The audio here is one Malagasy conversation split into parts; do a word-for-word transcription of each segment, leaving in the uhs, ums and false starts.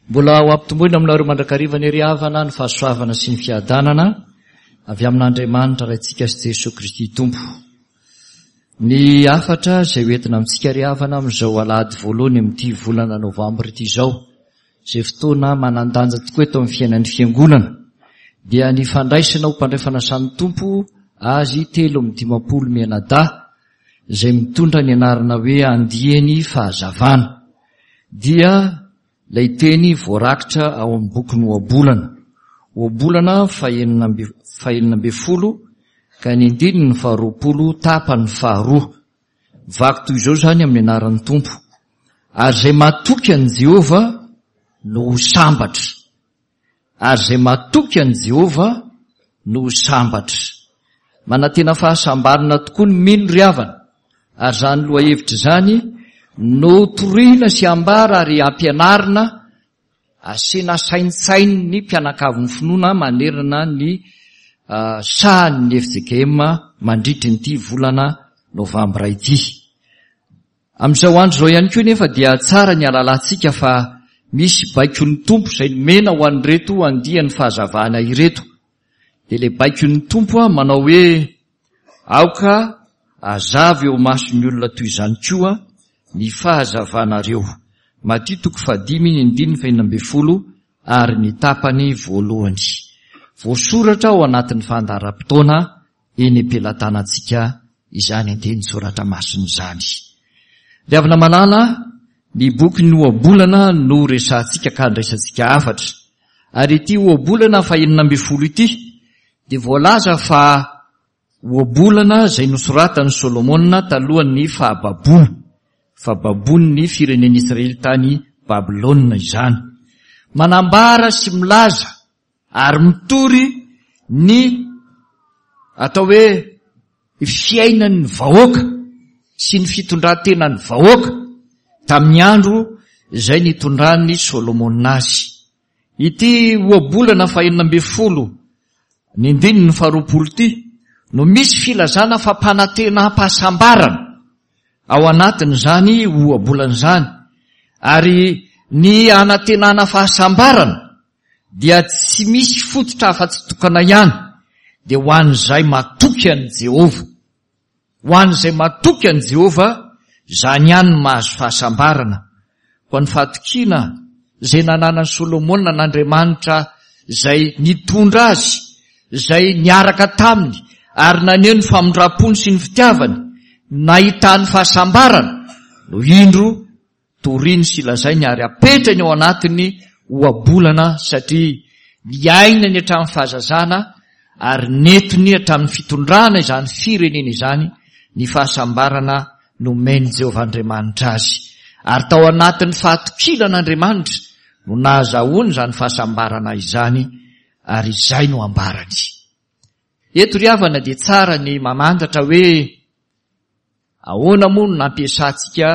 Mbola ho ampitomboina aminareo mandrakariva ny ry havana ny fahasoavana sy ny fiadanana avy amin'Andriamanitra Raintsika sy Jesoa Kristy Tompo. Ny hafatra izay hoentina amintsika ry havana amin'izao alahady voalohany amin'ity volana novambra ity izao, izay fotoana manan-danja tokoa eto amin'ny fiainan'ny fiangonana, dia ny fandraisana ho mpandray fanasan'ny Tompo azy telo amby dimampolo mianadahy izay mitondra ny anarana hoe andiany fahazavana, dia ilay teny voarakitra ao amin'ny bokin'ny Ohabolana. Ohabolana fahenina amby fahenina ambin'ny folo ka ny andininy faharoapolo tapany faharoa. Vaky toy izao izany amin'ny anaran'ny Tompo. Ary izay matoky an'i Jehovah no ho sambatra. Ary izay matoky an'i Jehovah no ho sambatra. Manantena fahasambarana tokoa ny mino ry havana. Ary izany lohahevitra izany no torina sy ambara ary ampianarina asiana saintsain'ny mpianakavin'ny finoana manerana ny sahan'ny F J K M mandritry ny ity volana novambra ity. Amin'izao andro izao ihany koa nefa dia tsara ny halalantsika fa misy baikon'ny Tompo izay nomena ho an'ireto andian'ny fahazavana ireto. Dia ilay baikon'ny Tompo a manao hoe aoka hazava eo mason'ny olona toy izany koa ny fahazavanareo. Matio toko fahadimy ny andininy fahenina ambin'ny folo ary ny tapany voalohany. Voasoratra ao anatin'ny fandaharam-potoana eny am-pelatanantsika izany andinin-tsoratra masina izany. Ry havana malala, ny bokin'ny Ohabolana no resahantsika ka andraisantsika hafatra. Ary ity Ohabolana fahenina ambin'ny folo ity dia voalaza fa Ohabolana izay nosoratan'i Solomona talohan'ny fahababoana, fahababoan'ny firenen'Israely tany Babylona izany. Manambara sy milaza ary mitory ny atao hoe fiainan'ny vahoaka sy ny fitondran-tenan'ny vahoaka tamin'ny andro izay nitondran'i Solomona azy. Ity ohabolana fahenina ambin'ny folo ny andininy faharoapolo ity no misy filazana fampanantenam-pahasambarana ao anatin'izany ohabolana izany. Ary ny anantenana fahasambarana dia tsy misy fototra afa-tsy tokana ihany, dia ho an'izay matoky an'i Jehovah. Ho an'izay matoky an'i Jehovah, izany ihany no mahazo fahasambarana. Koa ny fahatokiana izay nananan'i Solomona an'Andriamanitra izay nitondra azy, izay niaraka taminy ary naneho ny famindram-pony sy ny fitiavany, nahitany fahasambarana, no indro toriny sy lazainy ary apetrany ao anatiny ohabolana, satria niainany hatramin'ny fahazazana ary nentiny hatramin'ny fitondrana izany firenena izany ny fahasambarana nomen'i Jehovah Andriamanitra azy. Ary tao anatin'ny fahatokiana an'Andriamanitra no nahazahoany izany fahasambarana izany, ary izay no ambarany. Eto ry havana dia tsara ny mamantatra hoe ahoana moa no nampiasantsika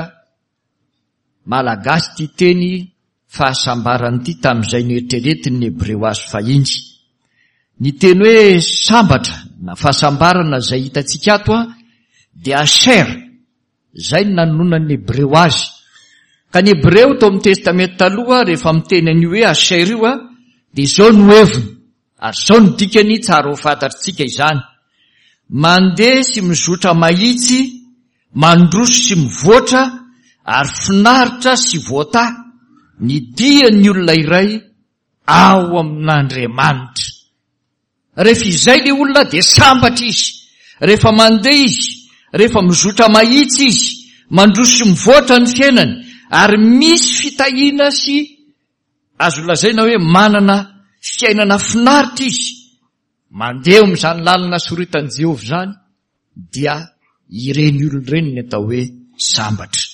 malagasy ity teny fahasambarana ity tamin'izay noeritreretin'ny Hebreo azy fahiny. Ny teny hoe sambatra na fahasambarana izay hitantsika ato a dia asher, izay no nanononan'ny Hebreo azy. Ka ny Hebreo tao amin'ny Testamenta taloha rehefa miteny an'io hoe asher io a dia izao no heviny ary izao no dikany, tsara ho fantatritsika izany. Mandeha sy mizotra mahitsy, mandroso sy mivoatra ary finaritra sy voata ny dian'ny olona iray ao amin'Andriamanitra. Rehefa izay ilay olona dia sambatra izy, rehefa mandeha izy, rehefa mizotra mahitsy izy, mandroso sy mivoatra ny fiainany ary misy fitahiana sy azo lazaina hoe manana fiainana finaritra izy, mandeha amin'izany lalana soritan'i Jehovah izany, dia ireny olona ireny ny atao hoe sambatra.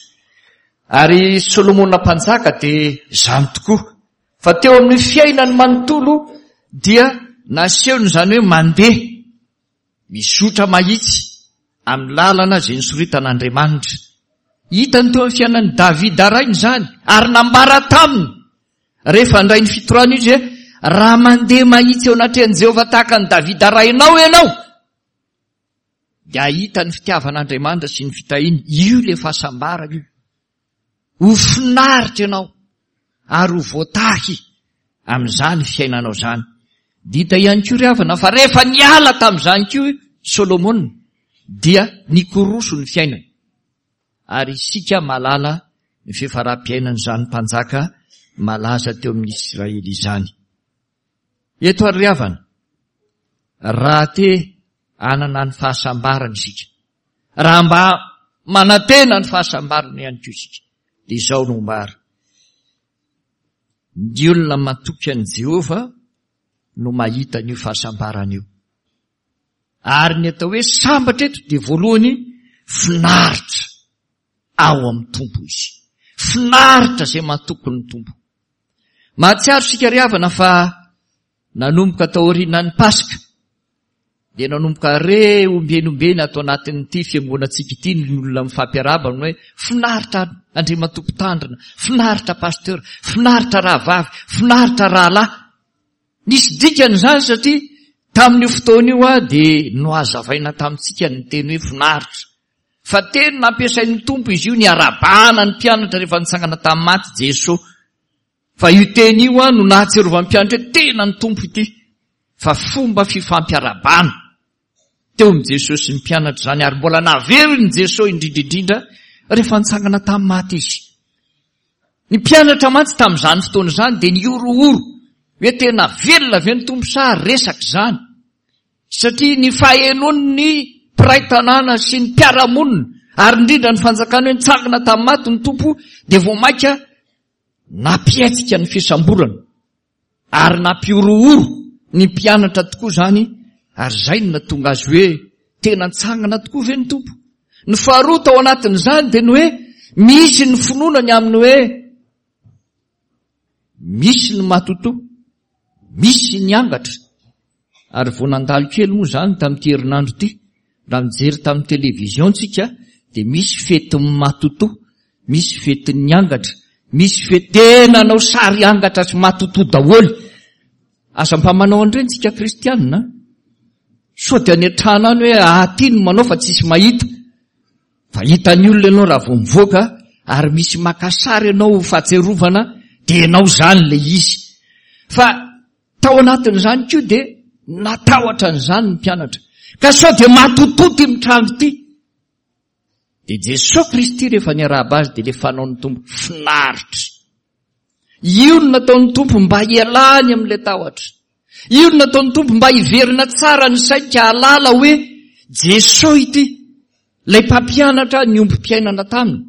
Ary Solomona mpanjaka dia izany tokoa, fa teo amin'ny fiainany manontolo dia nasehony izany hoe mandeha mizotra mahitsy amin'ny lalana izay nisoritan'Andriamanitra. Hitany teo amin'ny fiainan'i Davida rainy izany ary nambara taminy rehefa handray ny fitorana izy hoe raha mandeha mahitsy eo anatrehan'i Jehovah tahaka an'i Davida rainao ianao, dia hahita ny fitiavan'Andriamanitra sy ny fitahiany. Io ilay fahasambarana io. Ho finaritra ianao ary ho voatahy amin'izany fiainanao izany. Dia hita ihany koa ry havana fa rehefa niala tamin'izany koa Solomona dia nikoroso ny fiainany. Ary isika mahalala ny fiafaram-piainan'izany mpanjaka malaza teo amin'ny Israely izany. Eto ary ry havana, raha te hanana ny fahasambarana isika, raha mba manantena ny fahasambarana ihany koa isika, dia izao no ombara. Ny olona matoky an'i Jehovah no mahita an'io fahasambarana io. Ary ny atao hoe sambatra eto dia voalohany finaritra ao amin'ny Tompo izy. Finaritra izay matoky ny Tompo. Mahatsiaro isika ry havana fa nanomboka taorian'ny Paska dia nanomboka re ombieny ombieny ato anatin'ity fiangonantsika ity ny olona mifampiarahaba ny hoe finaritra Andriamatoa Mpitandrina, finaritra pasteur, finaritra rahavavy, finaritra rahalahy. Nisy dikany izany satria tamin'io fotoana io aho dia nohazavaina tamintsika ny teny hoe finaritra. Fa teny nampiasain'ny Tompo izy io niarabana ny mpianatra rehefa nitsangana tamin'ny maty Jesoa. Fa io teny io no nahatsiarovan'ny mpianatra hoe tena ny Tompo ity. Fa fomba fifampiarabana teo amin'i Jesoa sy ny mpianatra izany, ary mbola naverin'i Jesoa indrindra indrindra rehefa nitsangana tamin'ny maty izy. Ny mpianatra mantsy tamin'izany fotoana izany dia nihorohoro hoe tena velona ve ny Tompo sa resaka izany, satria ny fahenoan'ny mpiray tanàna sy ny mpiara-monina ary indrindra ny fanjakana hoe nitsangana tamin'ny maty ny Tompo dia vao mainka nampihetsika ny fisamborana ary nampihorohoro ny mpianatra tokoa izany, ary izay no nahatonga azy hoe tena nitsangana tokoa ve ny Tompo. Ny faharoa tao anatin'izany dia ny hoe misy ny finoana ny amin'ny hoe misy ny matotoa, misy ny angatra. Ary vao nandalo kely moa izany tamin'ity herinandro ity, raha mijery tamin'ny televizion tsika dia misy fetin'ny matotoa, misy fetin'ny angatra, misy fety tena nanao sary angatra sy matotoa daholo. Aza mba manao an'ireny tsika kristianina. Sao dia any an-trano any hoe aty no manao fa tsisy mahita. Fa hitan'ny olona ianao raha vao mivoaka ary misy maka sary ianao ho fahatsiarovana dia ianao izany ilay izy. Fa tao anatin'izany koa dia natahotra an'izany ny mpianatra. Ka sao dia matotoa ity mitranga ity. Dia Jesoa Kristy rehefa niarahaba azy dia ilay fanaon'ny Tompo finaritra. Io no nataon'ny Tompo mba hialany amin'ilay tahotra. Io no nataon'ny Tompo mba hiverina tsara ny sainy ka hahalala hoe Jesoa ity, ilay mpampianatra ny ombim-piainana taminy.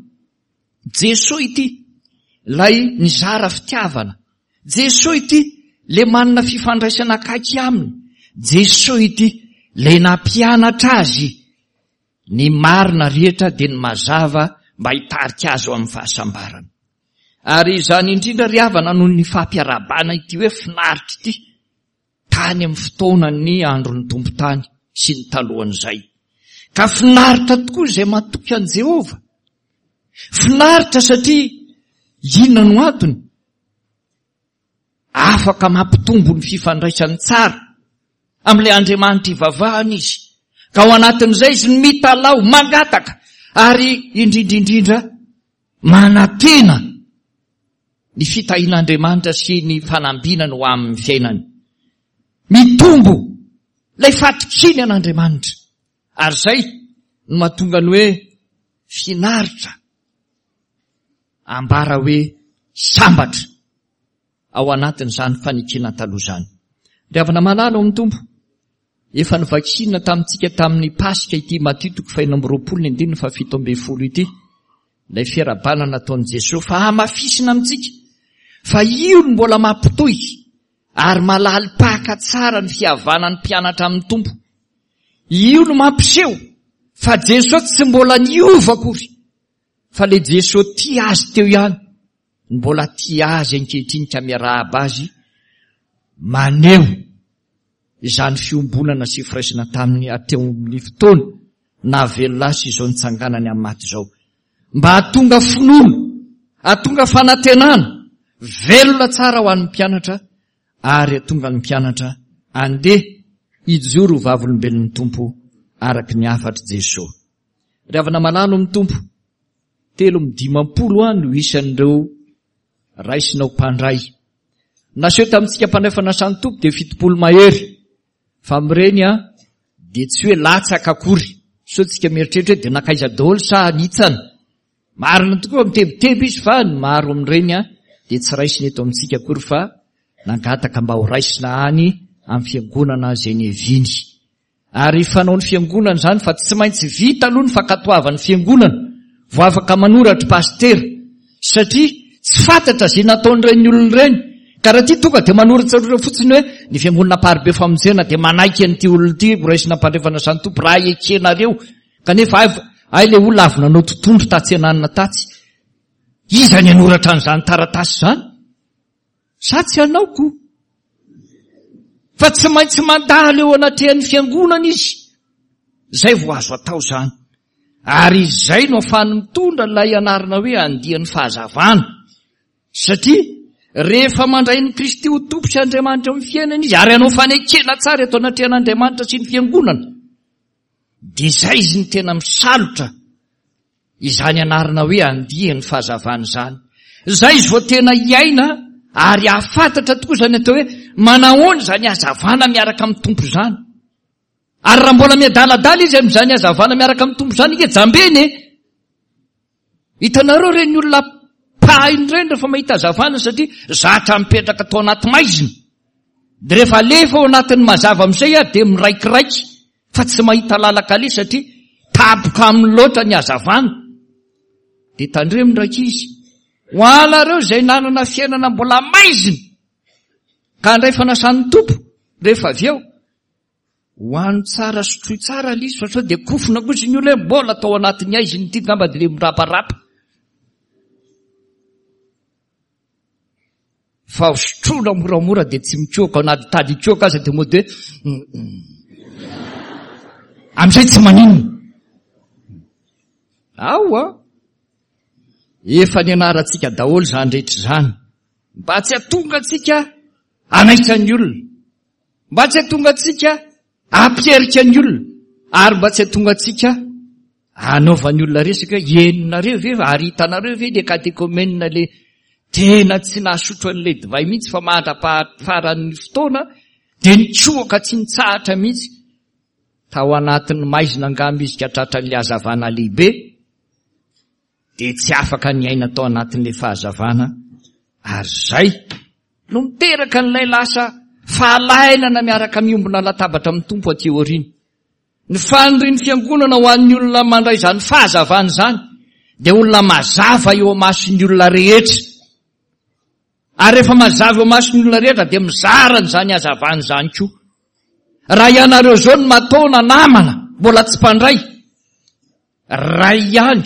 Jesoa ity, ilay nizara fitiavana. Jesoa ity, ilay manana fifandraisana akaiky aminy. Jesoa ity, ilay nampianatra azy ny marina rehetra dia ny mazava mba hitarika azy ho amin'ny fahasambarana. Ary izany indrindra ry havana noho ny fampiarabana ity hoe finaritra ity tany amin'ny fotoanan'ny andron'ny Tompo tany sy ny talohan'izay. Ka finaritra tokoa izay matoky an'i Jehovah. Finaritra satria inona no antony? Afaka mampitombo ny fifandraisany tsara amin'ilay Andriamanitra ivavahana izy. Ka ao anatin'izay izy no mitalaho, mangataka ary indrindra indrindra manantena ny fitahian'Andriamanitra sy ny fanambinany ho amin'ny fiainany. Mitombo ilay fatokiany an'Andriamanitra. Ary izay no mahatonga ny hoe finaritra ambara hoe sambatra ao anatin'izany fanekena taloha izany. Ry havana malala ao amin'ny Tompo, efa novakiana tamintsika tamin'ny Paska ity Matio toko fahenina amby roapolo ny andininy fahafito ambin'ny folo ity, ilay fiarahabana nataon'i Jesoa fa hamafisina amintsika fa io no mbola mampitohy ary malalim-paka tsara ny fihavanan'ny mpianatra amin'ny Tompo. Io no mampiseho fa Jesoa tsy mbola niova akory, fa ilay Jesoa tia azy teo ihany no mbola tia azy ankehitriny ka miarahaba azy, maneho izany fiombonana sy firaisana taminy hatreo amin'ny fotoana nahavelona azy sy izao nitsanganany amin'ny maty izao. Mba hahatonga finoana, hahatonga fanantenana velona tsara ho an'ny mpianatra ary hahatonga ny mpianatra andeha hijoro ho vavolombelon'ny Tompo araka ny hafatr'i Jesoa. Ry havana malala amin'ny Tompo, telo amby dimampolo no isan'ireo raisina ho mpandray. Naseho tamintsika mpandray fanasan'ny Tompo dia fitopolo mahery. Fa amin'ireny a dia tsy hoe latsaka akory. Sao tsika mieritreritra hoe dia nankaiza daholo sa nitsana. Marina tokoa mitebiteby izy fa ny maro amin'ireny a dia tsy raisina eto amintsika akory fa nangataka mba ho raisina any amin'ny fiangonana izay niaviany. Ary fanaon'ny fiangonana izany fa tsy maintsy vita aloha ny fankatoavan'ny fiangonana vao afaka manoratra pasitera, satria tsy fantatra izay nataon'ireny olona ireny. Ka raha ity tonga dia manoratra ireo fotsiny hoe ny fiangonana Amparibe Famonjena dia manaiky an'ity olona ity ho raisina mpandray fanasan'ny Tompo raha ekenareo, kanefa ay, ay ilay olona avy nanao tontondro tatsy ananina tatsy. Iza ny hanoratra an'izany taratasy izany? Sa tsy hanao ko? Fa tsy maintsy mandalo eo anatrehan'ny fiangonana izy. Izay vao azo atao izany. Ary izay no ahafahany mitondra ilay anarana hoe andian'ny fahazavana. Satria rehefa mandray ny Kristy ho Tompo sy Andriamanitra eo amin'ny fiainana izy, ary hanao fanekena tsara eto anatrehan'Andriamanitra sy ny fiangonana, dia izay izy no tena misalotra izany anarana hoe andian'ny fahazavana izany. Izay izy vao tena hiaina ary hahafantatra tokoa izany atao hoe manahoana izany hazavana miaraka amin'ny Tompo izany. Ary raha mbola miadaladala izy amin'izany hazavana miaraka amin'ny Tompo izany, ike jambeny e! Hitanareo ireny olona mpahaino ireny rehefa mahita hazavana, satria zatra mipetraka tao anaty maizina. Dia rehefa alefa ao anatin'ny mazava amin'izay aho dia miraikiraiky fa tsy mahita lalan-kaleha satria tapoka aminy loatra ny hazavana. Dia tandremo ny rankizy, ho anareo izay nanana fiainana mbola maizina ka handray fanasan'ny Tompo rehefa avy eo, hoano tsara, sotroy tsara ilay izy fa sao dia kofona kosa ny olona hoe mbola tao anatin'ny aizina ity, angamba dia ilay miraparapa. Fa sotroina moramora dia tsy mikoaka, na tady hikoaka aza dia mody hoe amin'izay tsy maninona. Ao a, efa nianarantsika daholo izany rehetra izany mba tsy hahatonga antsika hanaitra ny olona, mba tsy hahatonga antsika hampierika ny olona, ary mba tsy hahatonga antsika hanaovan'ny olona resaka hoe henonareo ve ary hitanareo ve le katekomena le tena tsy nahasotro an'ilay divay mihitsy fa mandra-pahafaran'ny fotoana dia nitsoaka tsy nitsahatra mihitsy. Tao anatin'ny maizina angamba izy ka tratran'ilay hazavana lehibe, dia tsy afaka niaina tao anatin'ilay fahazavana, ary izay no miteraka an'ilay lasa fahalainana miaraka miombona latabatra amin'ny Tompo aty aoriana. Ny fanirian'ny fiangonana ho an'ny olona mandray izany fahazavana izany dia olona mazava eo amason'ny olona rehetra. Ary rehefa mazava eo amason'ny olona rehetra dia mizara an'izany hazavana izany koa. Raha ianareo izao no mataona namana mbola tsy mpandray, ray ihany,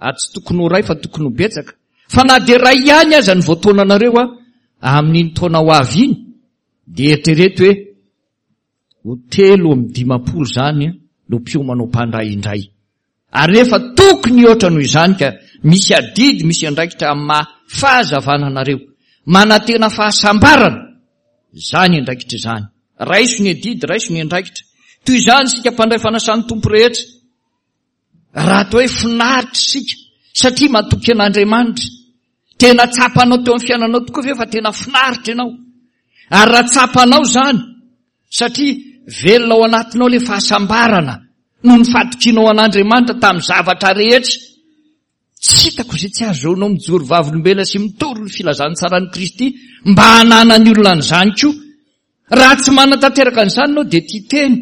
ary tsy tokony ho ray fa tokony ho betsaka, fa na dia ray ihany aza ny voataonanareo a, amin'iny taona ho avy iny, dia eritrereto hoe ho telo amby dimampolo izany no mpiomana ho mpandray indray. Ary nefa tokony hihoatra noho izany ka misy adidy, misy andraikitra amin'ny maha fahazavana anareo. Manantena fahasambarana izany andraikitra izany. Raiso ny adidy, raiso ny andraikitra. Toy izany isika mpandray fanasan'ny Tompo rehetra. Raha atao hoe finaritra isika satria matoky an'Andriamanitra, tena tsapanao teo amin'ny fiainanao tokoa ve fa tena finaritra ianao? Ary raha tsapanao izany satria velona ao anatinao ilay fahasambarana noho ny fatokianao an'Andriamanitra tamin'ny zavatra rehetra, tsy hitako izay tsy ahazoanao mijoro vavolombelona sy mitory ny filazantsaran'i Kristy mba hananan'ny olona an'izany koa. Raha tsy manatanteraka an'izany ianao dia tia tena,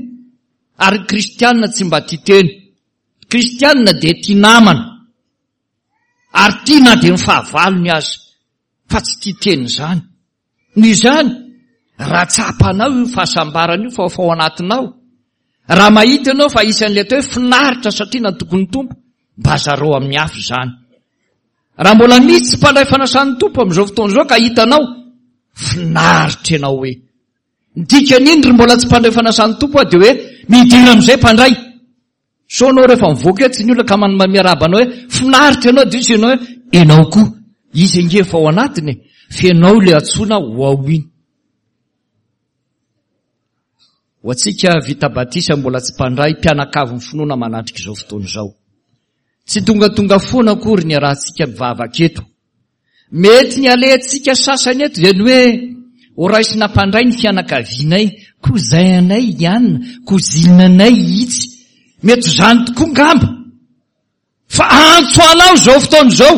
ary ny kristianina tsy mba tia tena. Ny kristianina dia tia namana, ary tia na dia ny fahavalony aza, fa tsy tia tena izany. Noho izany, raha tsapanao io fahasambarana io fa efa ao anatinao, raha mahita ianao fa isan'ilay atao hoe finaritra satria natoky ny Tompo, mba zarao amin'ny hafa izany. Raha mbola misy tsy mpandray fanasan'ny Tompo amin'izao fotoana izao ka hitanao, finaritra ianao hoe. Ny dikan'iny ry mbola tsy mpandray fanasan'ny Tompo aho dia hoe midira amin'izay mpandray. Sao anao rehefa mivoaka etsy ny olona ka miarahaba anao hoe finaritra ianao, dia izy ianao hoe ianao koa. Izy ange efa ao anatiny e, fa ianao ilay antsoina ho ao iny. Ho antsika vita batisa mbola tsy mpandray, mpianakavin'ny finoana manatrika izao fotoana izao. Tsy tongatonga foana akory ny arahantsika mivavaka eto. Mety ny alehantsika sasany eto dia ny hoe ho raisina mpandray ny fianakavianay, cousin-nay ihany, cousine-nay itsy. Mety izany tokoa ngamba. Fa antso anao izao fotoana izao.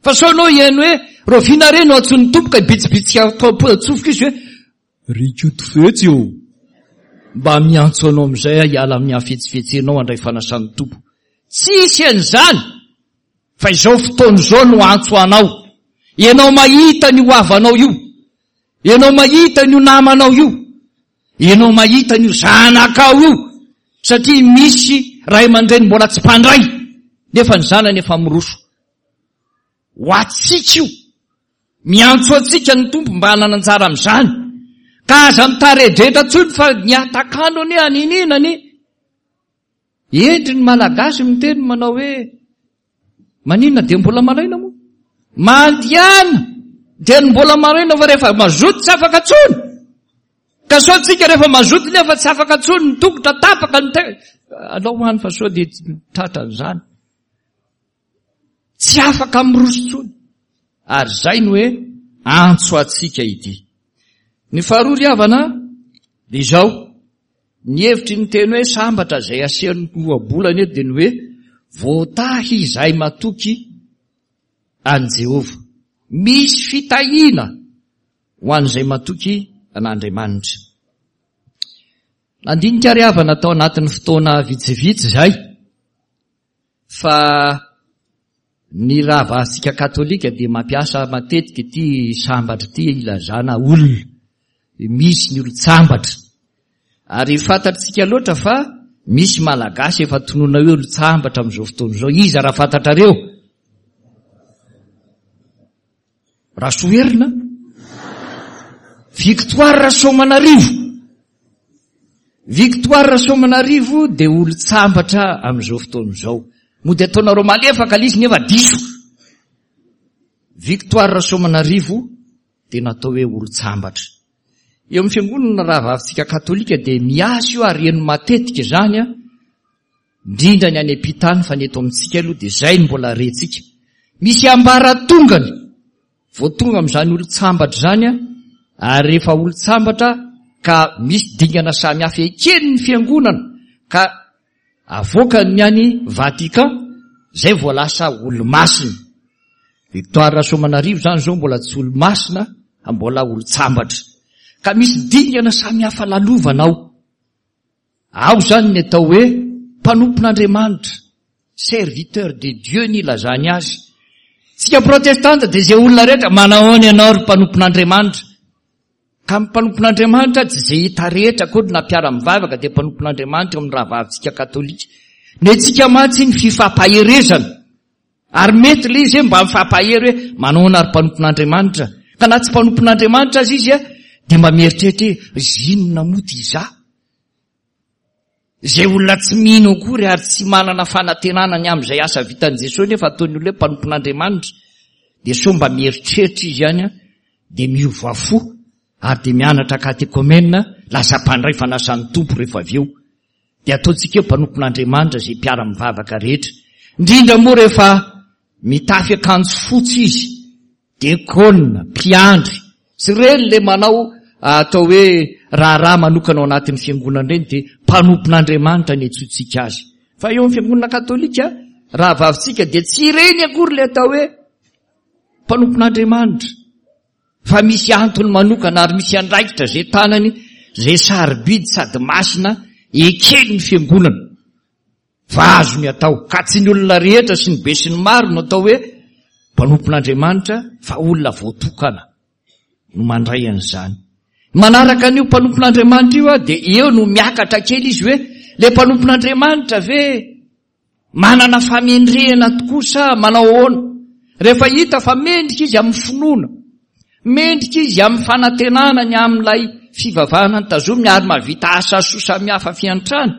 Fa sao ianao hihaino hoe rahoviana re no antsoin'ny Tompo ka hibitsibitsika atao am-po-tsofoka izy hoe ry Ikotofetsy ô, mba miantso anao amin'izay aho hiala amin'ny hafetsifetsenao handray fanasan'ny Tompo. Tsisy an'izany fa izao fotoana izao no antso anao. Ianao mahita an'io havanao io, ianao mahita an'io namanao io, ianao mahita an'io zanakao io, satria misy ray aman-dreny mbola tsy mpandray nefa ny zanany efa miroso. Ho antsika io. Miantso antsika ny Tompo mba hanana anjara amin'izany. Ka aza mitaredretra intsony fa ny atakalo anie aniniana anie. Hendry ny Malagasy miteny manao hoe maninona dia mbola malaina moa? Mandehana dia ny mbola malaina fa rehefa mazoto tsy afaka intsony. Ka sao tsika rehefa mazoto nefa tsy afaka intsony ny tongotra tapaka ny te-, alao ho any fa sao dia tratran'izany. Tsy afaka miroso intsony. Ary izay no hoe antso antsika ity. Ny faharoa ry havana dia izao, ny hevitry ny teny hoe sambatra izay asehon'ny ohabolana eto dia ny hoe voatahy izay matoky an'i Jehovah. Misy fitahiana ho an'izay matoky an'Andriamanitra. Nandinika ry havana tao anatin'ny fotoana vitsivitsy izay fa ny rahavavintsika katolika dia mampiasa matetika ity sambatra ity ilazana olona. Misy ny olon-tsambatra. Ary fantatsika loatra fa misy Malagasy efa tonona hoe olon-tsambatra amin'izao fotoana izao. Iza raha fantatrareo? Rasoherina? Victoire Rasoamanarivo. Victoire Rasoamanarivo dia olon-tsambatra amin'izao fotoana izao. Mody ataonareo malefaka ilay izy nefa diso. Victoire Rasoamanarivo dia natao hoe olon-tsambatra. Eo amin'ny fiangonana rahavavintsika katolika dia miasa io ary heno matetika izany a, indrindra ny any am-pitany fa ny eto amintsika aloha dia izay no mbola rentsika. Misy ambaratongany vao tonga amin'izany olon-tsambatra izany a, ary rehefa olon-tsambatra ka misy dingana samihafa eken'ny fiangonana ka avoakany ny any Vatican, izay vao lasa olo-masina. Victoire Rasoamanarivo izany izao mbola tsy olo-masina, fa mbola olon-tsambatra. Ka misy dingana samihafa lalovana ao. Ao izany ny atao hoe mpanompon'Andriamanitra, serviteur de Dieu ny ilazany azy. Tsika protestanta dia izay olona rehetra manahoana ianao ry mpanompon'Andriamanitra. Ka ny mpanompon'Andriamanitra tsy izay hita rehetra akory na mpiara-mivavaka dia mpanompon'Andriamanitra eo amin'ny rahavavintsika katolika. Ny antsika mantsy ny fifampaherezana. Ary mety ilay izy hoe mba mifampahery hoe manahoana ry mpanompon'Andriamanitra. Ka na tsy mpanompon'Andriamanitra aza izy dia mba mieritreritra hoe zinona moa ty izaho. Izay olona tsy mino akory ary tsy manana fanantenana ny amin'izay asa vitan'i Jesosy nefa ataon'ny olona hoe mpanompon'Andriamanitra dia sao mba mieritreritra izy ihany dia miova fo ary dia mianatra katekomena lasa mpandray fanasan'ny Tompo rehefa avy eo. Dia ataontsika hoe mpanompon'Andriamanitra izay mpiara-mivavaka rehetra. Indrindra moa rehefa mitafy akanjo fotsy izy, dekona, mpiandry, tsy ireny ilay manao atao hoe raharaha manokana ao anatin'ny fiangonana ireny dia mpanompon'Andriamanitra ny antsointsika azy. Fa eo amin'ny fiangonana katolika, rahavavintsika dia tsy ireny akory ilay atao hoe mpanompon'Andriamanitra. Fa misy antony manokana ary misy andraikitra izay tanany, izay sarobidy sady masina eken'ny fiangonana. Fa azony atao, ka tsy ny olona rehetra sy ny besinimaro no atao hoe mpanompon'Andriamanitra, fa olona voatokana no mandray an'izany. Manaraka an'io mpanompon'Andriamanitra io dia eo no miakatra kely izy hoe ilay mpanompon'Andriamanitra ve manana famendrehana tokoa sa manao ahoana? Rehefa hita fa mendrika izy amin'ny finoana, mendrika izy amin'ny fanantenana ny amin'ilay fivavahana notazominy ary mahavita asa soa samihafa fiantrana,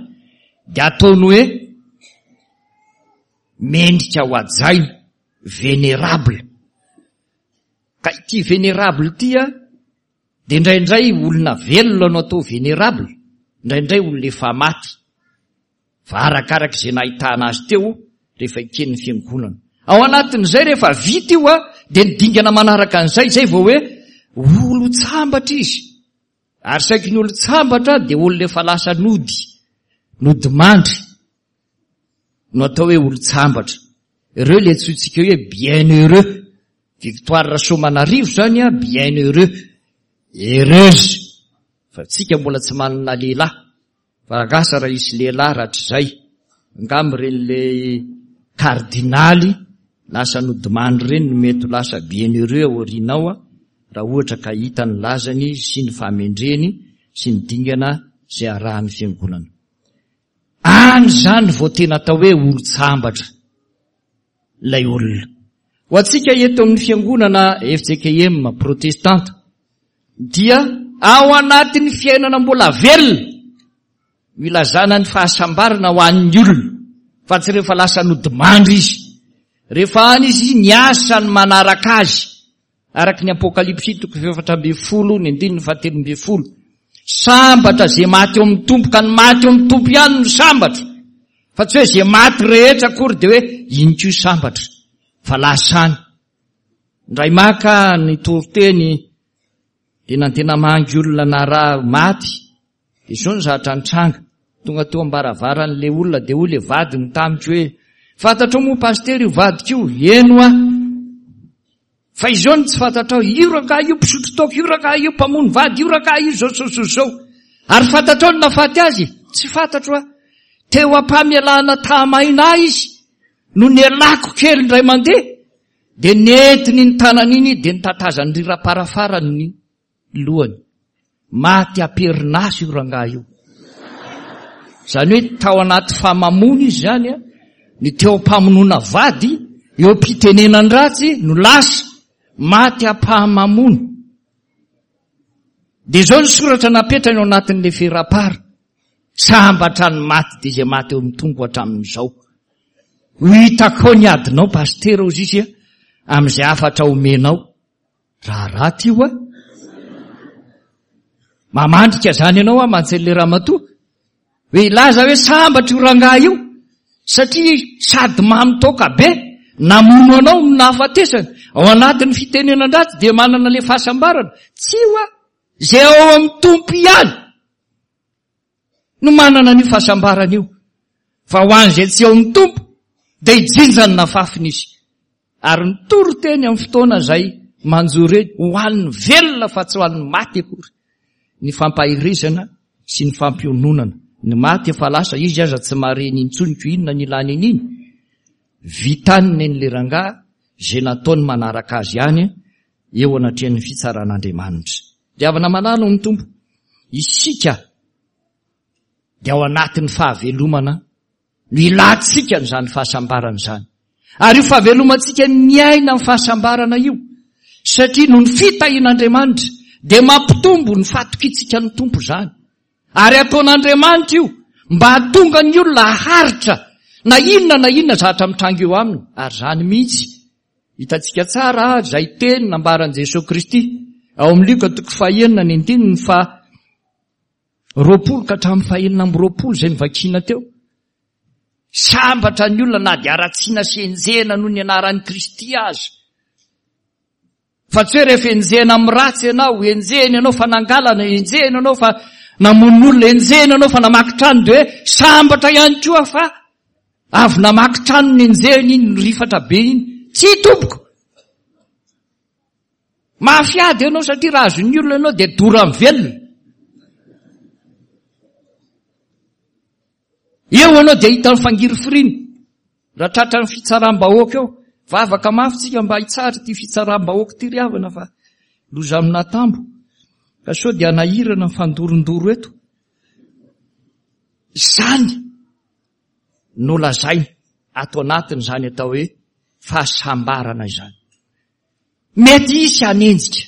dia ataony hoe mendrika ho hajaina, vénérable. Ka ity vénérable ity a, dia indraindray olona velona no atao vénérable, indraindray olona efa maty. Fa arakaraka izay nahitana azy teo rehefa eken'ny fiangonana. Ao anatin'izay rehefa vita io a, dia ny dingana manaraka an'izay, izay vao hoe olon-tsambatra izy. Ary saiky ny olon-tsambatra dia olona efa lasa nody, nodimandry no atao hoe olon-tsambatra. Ireo le antsointsika hoe bienheureux. Victoire Rasoamanarivo zany a, bienheureux, heureuse. Fa tsika mbola tsy manana lehilahy. Fa angasa raha hisy lehilahy rahatrizay, angamba ireny le kardinaly lasa nodimandry ireny no mety ho lasa bienheureux aorianao a, raha ohatra ka hita ny lazany sy ny fahamendreny sy ny dingana izay arahan'ny fiangonana. Any zany vao tena atao hoe olon-tsambatra ilay olona. Ho antsika eto amin'ny fiangonana F J K M protestanta dia ao anatin'ny fiainana mbola velona milazana ny fahasambarana ho an'ny olona, fa tsy rehefa lasa nodimandry izy. Rehefa any izy ny asany manaraka azy, araka ny Apokalypsy toko fahefatra ambin'ny folo ny andininy fahatelo ambin'ny folo. Sambatra zay maty eo amin'ny Tompo, ka ny maty eo amin'ny Tompo ihany no sambatra, fa tsy hoe zay maty rehetra akory dia hoe iny koa sambatra, fa lasa any. Indray maka ny toriteny dia nandeha namangy olona naraha maty, dia izao ny zavatra nitranga. Tonga teo am-baravaran'ilay olona dia hoy ilay vadiny tamiko hoe, fantatrao moa pasitera io vadiko io? Eny hoa. Fa izao no tsy fantatrao, io rangahy io mpisotro toaka, io rangahy io mpamono vady, io rangahy io zao, zao, zao, zao. Ary fantatrao ny nahafaty azy? Tsy fantatro aho. Teo am-pamelana tahamaina ahy izy no nialako kely indray mandeha, dia nentiny iny tanana iny, dia nitatazany riram-parafarany ny lohany. Maty am-perinasa io rangahy io. Izany hoe tao anaty famamoana izy zany a, ny teo am-pamonoana vady, eo am-pitenenan-dratsy no lasa, maty am-pahamamoana. Dia izao ny soratra napetrany ao anatin'ilay ferapara. Sambatra ny maty dia izay maty eo amin'ny Tompo hatramin'izao. Ho hitako ny adinao pasitera hozy izy a, amin'izay hafatra omenao. Raha raty io a. Mamandrika zany ianao a, mantsy an'ilay ramatoa. Hoe hilaza hoe sambatra io rangahy io, satria sady mamy toaka be, namono anao no nahafatesany. Ao anatin'ny fitenenan-dratsy dia manana ilay fahasambarana. Tsy io a, izay ao amin'ny Tompo ihany no manana an'io fahasambarana io. Fa ho an'izay tsy ao amin'ny Tompo dia hijinja ny nafafiny izy. Ary nitory teny amin'ny fotoana izay manjo ireny, ho an'ny velona fa tsy ho an'ny maty akory. Ny fampaherezana sy ny fampiononana. Ny maty efa lasa, izy aza tsy mahareny intsony ko inona ny ilany an'iny. Vitany ny an'ilay rangahy izay nataony manaraka azy ihany eo anatrehan'ny fitsaran'Andriamanitra. Dia havana malala ao amin'ny Tompo, isika dia ao anatin'ny fahavelomana no ilantsika an'izany fahasambarana izany. Ary io fahavelomantsika miaina amin'ny fahasambarana io, satria noho ny fitahian'Andriamanitra dia mampitombo ny fahatokiantsika ny Tompo izany. Ary ataon'Andriamanitra io mba hahatonga ny olona haharitra na inona na inona zavatra mitranga eo aminy. Ary izany mihitsy hitantsika tsara izay teny nambaran'i Jesoa Kristy ao amin'ny Lioka toko fahenina ny andininy fa roapolo ka hatramin'ny fahenina amby roapolo izay novakiana teo. Sambatra ny olona na dia haratsiana sy enjehina noho ny anaran'i Kristy aza. Fa tsy hoe rehefa enjehina amin'ny ratsy ianao, enjehina ianao fa nangalana, enjehina ianao fa namono olona, enjehina ianao fa namaky trano, dia hoe sambatra ihany koa fa avy namaky trano ny enjehina iny, nirifatra be iny. Tsy tompoko. Mafy ady ianao satria raha azon'ny olona ianao dia dorany velona. Eo ianao dia hita ny fangirifiriana. Raha tratran'ny fitsaram-bahoaka eo, vavaka mafy tsika mba hitsara ity fitsaram-bahoaka ity ry havana fa loza amin'atambo. Ka sao dia hanahirana ny fandorondoro eto. Izany no lazainy ato anatin'izany atao hoe fahasambarana izany. Mety hisy hanenjika,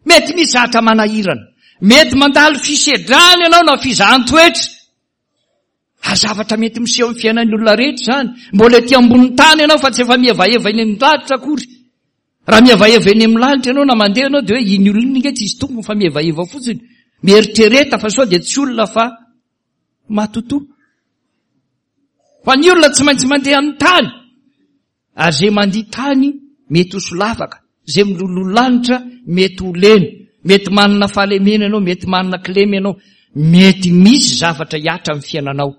mety misy zavatra manahirana, mety mandalo fisedrana ianao na fizahan-toetra. Ary zavatra mety miseho amin'ny fiainan'ny olona rehetra izany. Mbola ety ambonin'ny tany ianao fa tsy efa mihevaheva eny amin'ny lanitra akory. Raha mihevaheva eny amin'ny lanitra ianao na mandeha ianao dia hoe iny olona iny ange tsy hisy tompony fa mihevaheva fotsiny. Mieritrereta fa sao dia tsy olona fa matotoa. Fa ny olona tsy maintsy mandeha amin'ny tany. Ary izay mandia tany mety ho solafaka, izay miloloha lanitra mety ho lena, mety manana fahalemena ianao, mety manana kilema ianao, mety misy zavatra hihatra amin'ny fiainanao,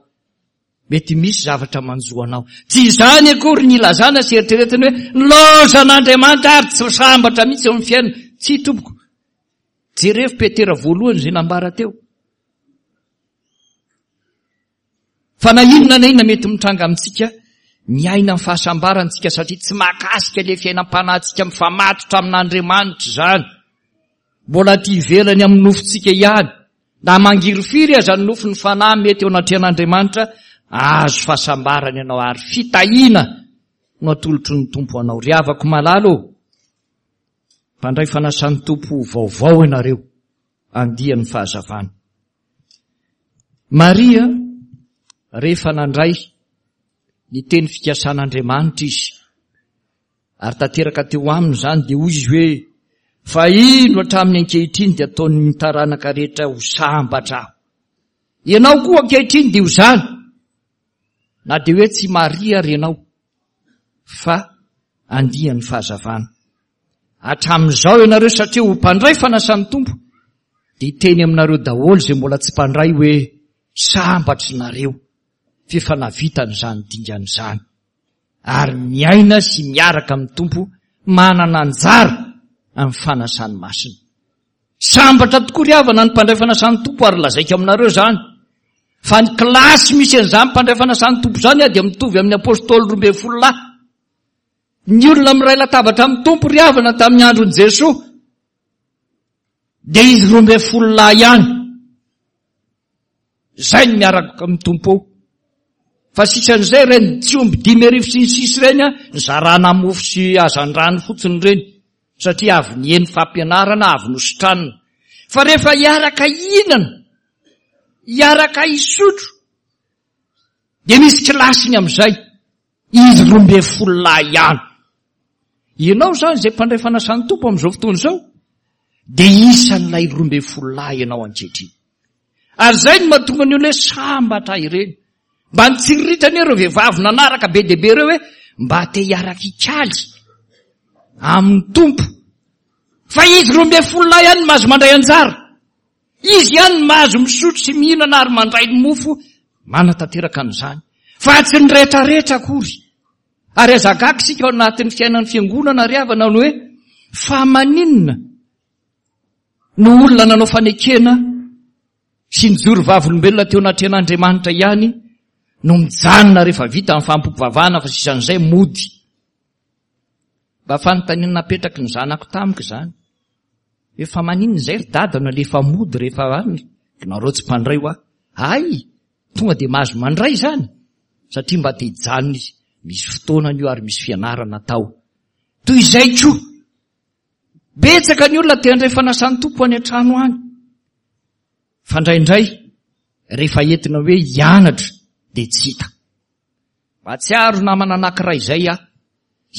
mety misy zavatra manjo anao. Tsy izany akory ny ilazana sy eritreretina hoe nilaozan'Andriamanitra ary tsy sambatra mihitsy eo amin'ny fiainana. Tsia tompoko. Jerevo Petera voalohany izay nambara teo. Fa na inona na inona mety mitranga amintsika, miaina amin'ny fahasambarana isika satria tsy mahakasika ilay fiainam-panahintsika mifamatotra amin'Andriamanitra izany. Mbola aty ivelany amin'ny nofontsika ihany. Na mangirifiry aza ny nofon'ny fanahy mety eo anatrehan'Andriamanitra, ahazo fahasambarana ianao ary fitahiana no atolotry ny Tompo anao. Ry havako malala ô, mpandray fanasan'ny Tompo vaovao ianareo, andian'ny fahazavana. Maria, rehefa nandray ny teny fikasan'Andriamanitra izy, ary tanteraka teo aminy izany, dia hoy izy hoe, fa indro hatramin'ny ankehitriny dia ataon'ny taranaka rehetra ho sambatra aho. Ianao koa ankehitriny dia ho izany, na dia hoe tsy Maria ary ianao, fa andian'ny fahazavana. Hatramin'izao ianareo satria ho mpandray fanasan'ny Tompo, dia hiteny aminareo daholo izay mbola tsy mpandray hoe sambatry nareo f'efa navita an'izany dingana izany ary miaina sy miaraka amin'ny Tompo manana anjara amin'ny fanasany masina. Sambatra tokoa ry havana ny mpandray fanasan'ny Tompo ary lazaiko aminareo izany fa ny kilasy misy an'izany mpandray fanasan'ny Tompo izany dia mitovy amin'ny apôstôly roa ambin'ny folo lahy. Ny olona miray latabatra amin'ny Tompo ry havana tamin'ny andron'i Jesoa dia izy roa ambin'ny folo lahy ihany. Izay no miaraka amin'ny Tompo ao. Fa sisan'izay ireny tsy omby dimy arivo sy ny sisa ireny a, nizarana mofo sy hazandrano fotsiny ireny satria avy niheno fampianarana, avy nositranina. Fa rehefa hiaraka hihinana, hiaraka hisotro, dia misy kilasiny amin'izay. Izy roa ambin'ny folo lahy ihany. Ianao izany izay mpandray fanasan'ny Tompo amin'izao fotoana izao, dia isan'ilay roa ambin'ny folo lahy ianao ankehitriny. Ary izay no mahatonga ny olona hoe sambatra ireny. Mba nitsiriritra anie ireo vehivavy nanaraka be dia be ireo hoe mba te hiaraka hikaly amin'ny Tompo. Fa izy roa ambin'ny folo lahy ihany no mahazo mandray anjara. Izy ihany no mahazo misotro sy mihinana ary mandray ny mofo manatanteraka an'izany. Fa tsy ny rehetrarehetra akory. Ary aza gaga isika ao anatin'ny fiainan'ny fiangonana ry havana ny hoe fa maninona no olona nanao fanekena sy nijoro vavolombelona teo anatrehan'Andriamanitra ihany no mijanona rehefa vita ny fampivavahana fa sisan'izay mody. Mba fanontaniana napetraky ny zanako tamiko izany. Hoe fa maninona izay ry dada no alefa mody rehefa any? Nareo tsy mpandray hoa. Hay, tonga dia mahazo mandray izany satria mba te hijanona izy. Misy fotoanany io ary misy fianarana atao. Toy izay koa, betsaka ny olona te handray fanasan'ny Tompo any an-trano any. Fa indraindray, rehefa entina hoe hianatra dia tsy hita. Mahatsiaro namana anankiray izay aho.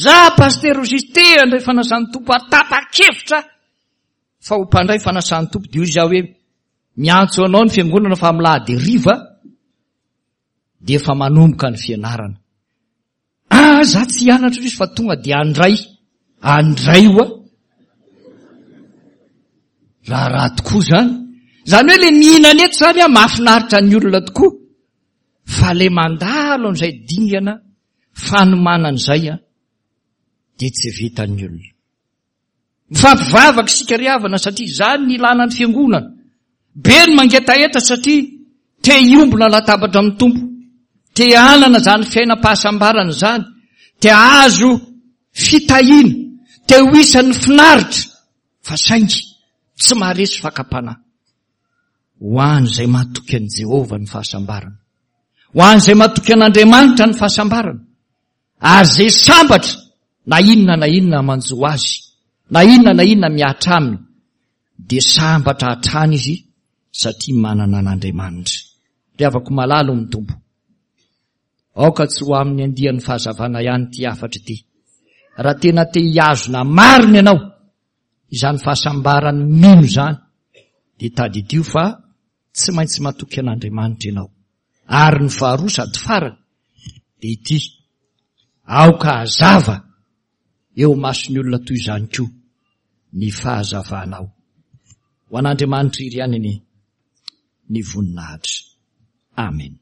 Za pasitera hoy izy te handray fanasan'ny Tompo ary tapa-kevitra fa ho mpandray fanasan'ny Tompo. Dia hoy izy aho hoe miantso anao ny fiangonana fa amin'ny lahady hariva dia efa manomboka ny fianarana. Ah, za tsy hianatra izy fa tonga dia handray. Handray hoa. Raharaha tokoa izany. Izany hoe le mihinana eto izany ah, mahafinaritra ny olona tokoa. Fa le mandalo amin'izay dingana fanomanana izay ah, dia tsy vitan'ny olona. Mifampivavaka isika ry havana satria izany ny ilana ny fiangonana. Be ny mangetaheta satria te hiombona latabatra amin'ny Tompo. Te hanana izany fiainam-pahasambarana izany. Te hahazo fitahiana. Te ho isan'ny finaritra. Fa saingy tsy maharesy fakam-panahy. Ho an'izay matoky an'i Jehovah ny fahasambarana. Ho an'izay matoky an'Andriamanitra ny fahasambarana. Ary izay sambatra na inona na inona manjo azy, na inona na inona mihatra aminy, dia sambatra hatrany izy satria manana an'Andriamanitra. Ry havako malala ao amin'ny Tompo, aoka tsy ho amin'ny andian'ny fahazavana ihany ity hafatra ity. Raha tena te hihazona marina ianao izany fahasambaran'ny mino izany, dia tadidio fa tsy maintsy matoky an'Andriamanitra ianao. Ary ny faharoa sady farany dia ity: Aoka hazava eo imason'ny olona toy izany koa ny fahazavanao. Ho an'Andriamanitra iry ihany anie ny voninahitra. Amen.